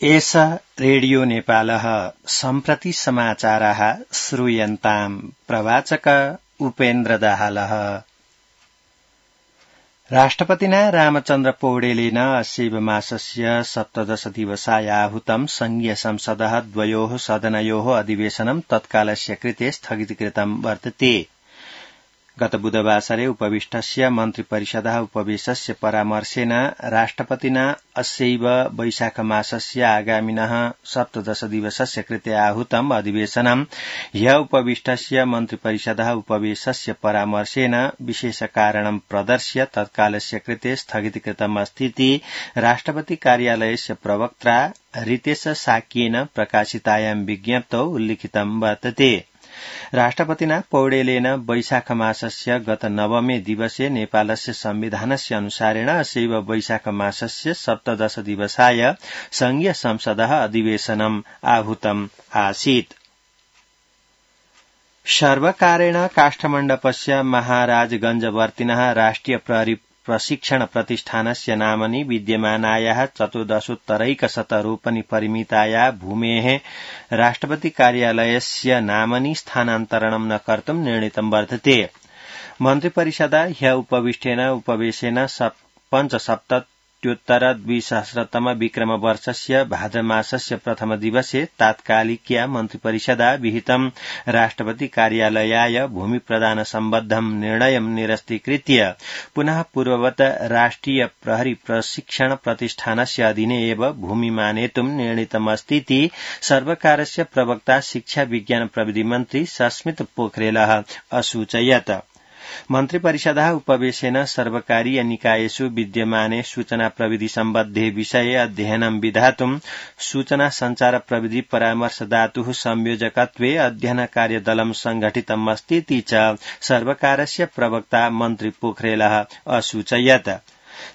एष रेडियो नेपालः सम्प्रति समाचारः श्रूयन्ताम् प्रवाचक उपेन्द्र दाहालः। राष्ट्रपतिना रामचन्द्र पौडेलेन अस्यैव मासस्य 17 दिवसाय आहूतं संघीय संसदः द्वयोः सदनयोः अधिवेशनं तत्कालस्य कृते स्थगितीकृतं वर्तते। गत बुधवासरे उपविष्टस्य मन्त्रिपरिषदः उपवेशस्य परामर्शेन राष्ट्रपतिना अस्यैव वैशाख मासस्य आगामिनः 17 दिवसस्य कृते आहूतम् अधिवेशनं ह्य उपविष्टस्य मन्त्रिपरिषदः उपवेशस्य परामर्शेन विशेष कारणं प्रदर्श्य तत्कालस्य कृते स्थगितीकृतम् अस्तीति राष्ट्रपति कार्यालयस्य प्रवक्त्रा रितेश साक्येन प्रकाशितायां विज्ञप्तौ उल्लिखितं वर्तते। राष्ट्रपतिना पौडेलेन वैशाख मासस्य गत 9 दिवसे नेपालस्य संविधानस्य अनुसारेण अस्यैव वैशाख मासस्य 17 दिवसाय संघीय संसदः अधिवेशनम् आहूतम् आसीत्। सर्वकारेण काष्ठमण्डपस्य महाराजगंजवर्तिनः राष्ट्रिय प्रहरी प्रशिक्षण प्रतिष्ठानस्य नामनि विद्यमानायाः 14 रोपनि परिमिताया भूमेः राष्ट्रपति कार्यालयस्य नामनि स्थानान्तरणं न कर्तुं निर्णीतं वर्तते। मन्त्रिपरिषदा ह्य उपविष्टेन उपवेशेन 2017 विक्रम वर्षस्य भाद्रमासस्य प्रथम दिवसे तात्कालिक्या मन्त्रिपरिषदा विहितं राष्ट्रपति कार्यालयाय भूमि प्रदान सम्बद्धं निर्णयं निरस्तीकृत्य पुनः पूर्ववत् राष्ट्रिय प्रहरी प्रशिक्षण प्रतिष्ठानस्य अधीने एव भूमि मानेतुं निर्णीतमस्तीति सर्वकारस्य प्रवक्ता शिक्षा विज्ञान प्रविधि मन्त्री सस्मित पोखरेलः असूचयत्। मन्त्रिपरिषदः उपवेशेन सर्वकारीय निकायेषु विद्यमाने सूचना प्रविधि सम्बद्धे विषये अध्ययनं विधातुं सूचना संचार प्रविधि परामर्शदातुः संयोजकत्वे अध्ययन कार्यदलं संघटितमस्तीति च सर्वकारस्य प्रवक्ता मन्त्री पोखरेलः असूचयत्।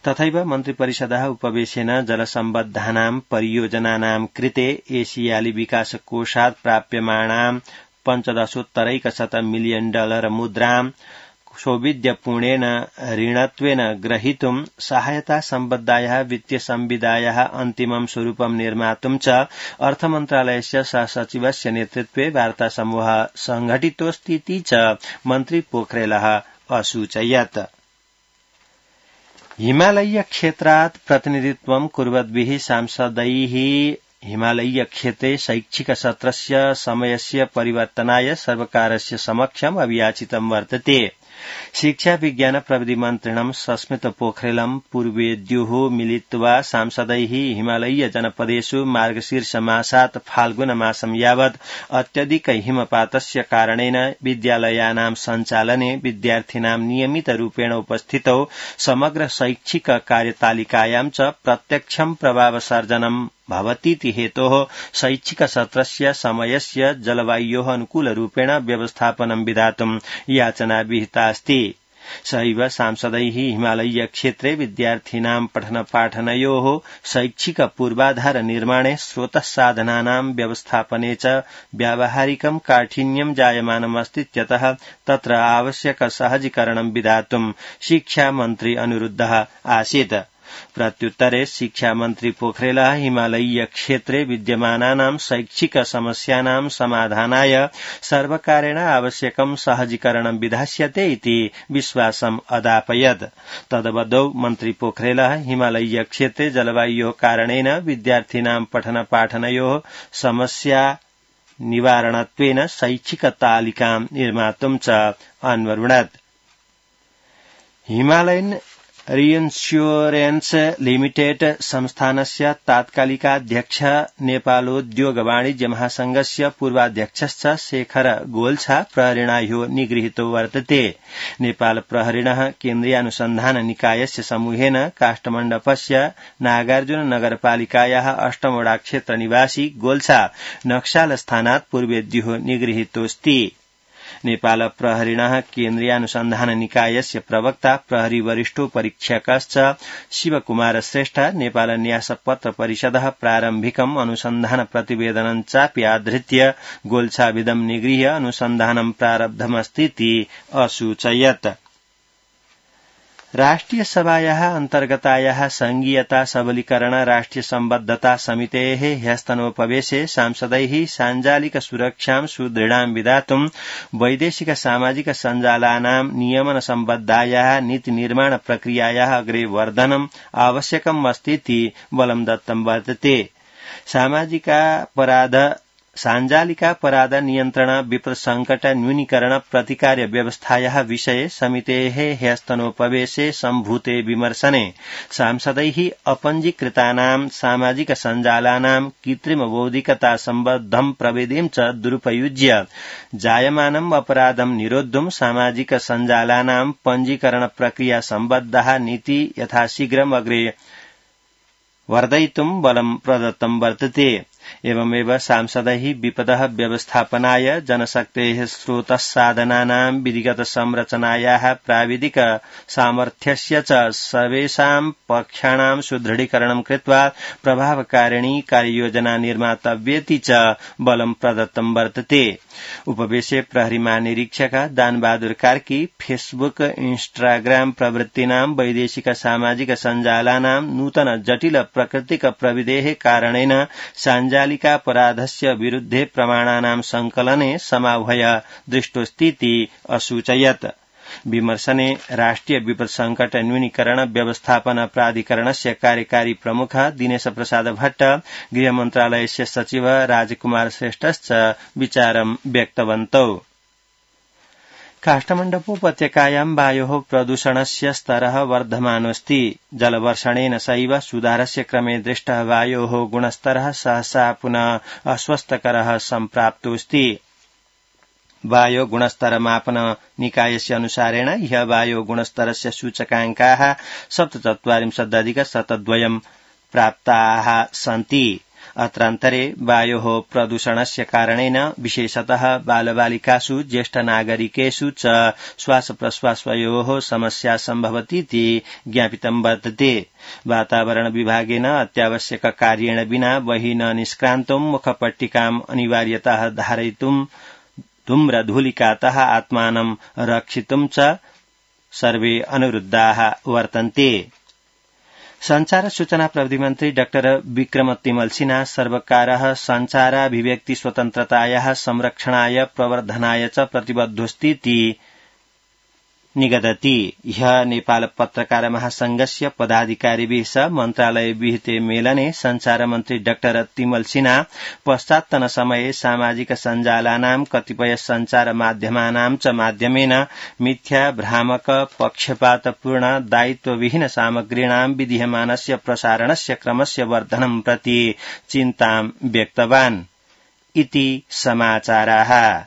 तथैव मन्त्रिपरिषदः उपवेशेन जलसम्बद्धानां परियोजनानां कृते एशियाली विकास कोषात् प्राप्यमाणां $15 मिलियन मुद्रां सौविध्यपूर्णेन ऋणत्वेन ग्रहीतुं सहायता सम्बद्धायाः वित्तीय संविदायाः अन्तिमं स्वरूपं निर्मातुं च अर्थमन्त्रालयस्य सहसचिवस्य नेतृत्वे वार्तासमूहः संघटितोऽस्तीति च मन्त्री पोखरेलः असूचयत्। हिमालयीय क्षेत्रात् प्रतिनिधित्वं कुर्वद्भिः सांसदैः हिमालयीय क्षेत्रे शैक्षिक सत्रस्य समयस्य परिवर्तनाय सर्वकारस्य समक्षम् अभियाचितं वर्तते। शिक्षा विज्ञान प्रविधि मन्त्रिणं सस्मित पोखरेलं पूर्वेद्युः मिलित्वा सांसदैः हिमालयीय जनपदेषु मार्गशीर्षमासात् फाल्गुनमासं यावत् अत्यधिक हिमपातस्य कारणेन विद्यालयानां सञ्चालने विद्यार्थिनां नियमितरूपेण उपस्थितौ समग्र शैक्षिक कार्यतालिकायां च प्रत्यक्षं प्रभावसर्जनं भवतीति हेतोः शैक्षिक सत्रस्य समयस्य जलवायोः अनुकूलरूपेण व्यवस्थापनं विधातुं याचना विहिता अस्ति। सहैव सांसदैः हिमालयीय क्षेत्रे विद्यार्थिनां पठनपाठनयोः शैक्षिक पूर्वाधार निर्माणे स्रोतसाधनानां व्यवस्थापने च व्यावहारिकं काठिन्यं जायमानमस्तीत्यतः तत्र आवश्यक सहजीकरणं विधातुं शिक्षा मन्त्री अनुरुद्धः आसीत्। प्रत्युत्तरे शिक्षा मन्त्री पोखरेलः हिमालयीय क्षेत्रे विद्यमानानां शैक्षिक समस्यानां समाधानाय सर्वकारेण आवश्यकं सहजीकरणं विधास्यते इति विश्वासम् अदापयत्। तदवधौ मन्त्री पोखरेलः हिमालयीय क्षेत्रे जलवायोः कारणेन विद्यार्थिनां पठनपाठनयोः समस्या निवारणत्वेन शैक्षिक तालिकां निर्मातुं च अन्वरुणत्। हिमालयन रिइन्स्योरेन्स लिमिटेड संस्थानस्य तात्कालिकाध्यक्ष नेपालोद्योग वाणिज्य महासंघस्य पूर्वाध्यक्षश्च शेखर गोल्छा प्रहरिणा ह्यो निगृहीतो वर्तते। नेपाल प्रहरिणः केन्द्रीय अनुसन्धान निकायस्य समूहेन काष्ठमण्डपस्य नागार्जुन नगरपालिकायाः 8 वडा क्षेत्र निवासी गोल्छा नक्साल स्थानात् पूर्वेद्युः निगृहीतोऽस्ति। नेपाल प्रहरिणः केन्द्रीयानुसन्धान निकायस्य प्रवक्ता प्रहरी वरिष्ठो परीक्षकश्च शिवकुमार श्रेष्ठ नेपाल न्यास पत्र परिषदः प्रारम्भिकम् अनुसन्धान प्रतिवेदनं चापि आधृत्य गोल्छाभिदं निगृह्य अनुसन्धानं प्रारब्धमस्तीति असूचयत्। राष्ट्रिय सभायाः अन्तर्गतायाः संघीयता सबलीकरण राष्ट्रिय सम्बद्धता समितेः ह्यस्तनोपवेशे सांसदैः साञ्जालिक सुरक्षां सुदृढां विधातुं वैदेशिक सामाजिक सञ्जालानां नियमन सम्बद्धायाः नीति निर्माण प्रक्रियायाः अग्रे वर्धनम् आवश्यकम् अस्तीति बलं दत्तं वर्तते। साञ्जालिकापराध नियन्त्रण विपद संकट न्यूनीकरण प्रतिकार व्यवस्थायाः विषये समितेः ह्यस्तनोपवेशे सम्भूते विमर्शने सांसदैः अपञ्जीकृतानां सामाजिक सञ्जालानां कृत्रिम बौद्धिकता सम्बद्धं प्रविधिं च दुरुपयुज्य जायमानम् अपराधं निरोद्धुं सामाजिक सञ्जालानां पञ्जीकरण प्रक्रिया सम्बद्धाः नीति यथाशीघ्रम् अग्रे वर्धयितुं बलं प्रदत्तं वर्तते। एवमेव सांसदैः विपदः व्यवस्थापनाय जनशक्तेः स्रोतः साधनानां विधिगत संरचनायाः प्राविधिक सामर्थ्यस्य च सर्वेषां पक्षाणां सुदृढीकरणं कृत्वा प्रभावकारिणी कार्ययोजना निर्मातव्येति च बलं प्रदत्तं वर्तते। उपवेशे प्रहरी महानिरीक्षक दानबहादुर कार्की फेसबुक इन्स्टाग्राम प्रभृतीनां वैदेशिक सामाजिक सञ्जालानां नूतन जटिल प्राकृतिक प्रविधेः कारणेन साञ्जालिकापराधस्य विरुद्धे प्रमाणानां संकलने समाह्वय दृष्टोऽस्तीति असूचयत्। विमर्शने राष्ट्रिय विपद संकट न्यूनीकरण व्यवस्थापन प्राधिकरणस्य कार्यकारी प्रमुख दिनेश प्रसाद भट्ट गृहमन्त्रालयस्य सचिव राजकुमार श्रेष्ठश्च विचारं व्यक्तवन्तौ। काष्ठमण्डपोपत्यकायां वायोः प्रदूषणस्य स्तरः वर्धमानोऽस्ति। जलवर्षणेन सैव सुधारस्य क्रमे दृष्टः वायोः गुणस्तरः सहसा पुनः अस्वस्थकरः सम्प्राप्तोऽस्ति। वायो गुणस्तर मापन निकायस्य अनुसारेण ह्य वायो गुणस्तरस्य सूचकाङ्काः 47.102 प्राप्ताः सन्ति। अत्रान्तरे वायोः प्रदूषणस्य कारणेन विशेषतः बालबालिकासु ज्येष्ठनागरिकेषु च श्वासप्रश्वासयोः समस्या सम्भवतीति ज्ञापितं वर्तते। वातावरण विभागेन अत्यावश्यक कार्येण विना बहिः न निष्क्रान्तुं मुखपट्टिकाम् अनिवार्यतः धारयितुं धूम्रधूलिकातः आत्मानं रक्षितुं च सर्वे अनुरुद्धाः वर्तन्ते। संचार सूचना प्रविधि मन्त्री डाक्टर विक्रम तिमलसिन्हा सर्वकारः संचाराभिव्यक्ति स्वतन्त्रतायाः संरक्षणाय प्रवर्धनाय च प्रतिबद्धोऽस्तीति निगदति। ह्यः नेपाल पत्रकार महासंघस्य पदाधिकारिभिः सह मन्त्रालय विहिते मेलने संचार मन्त्री डाक्टर तिमलसिन्हा पश्चात्तन समये सामाजिक सञ्जालानां कतिपय संचार माध्यमानां च माध्यमेन मिथ्या भ्रामक पक्षपातपूर्ण दायित्वविहीन सामग्रीणां विधीयमानस्य प्रसारणस्य क्रमस्य वर्धनं प्रति चिन्तां व्यक्तवान् इति समाचाराः।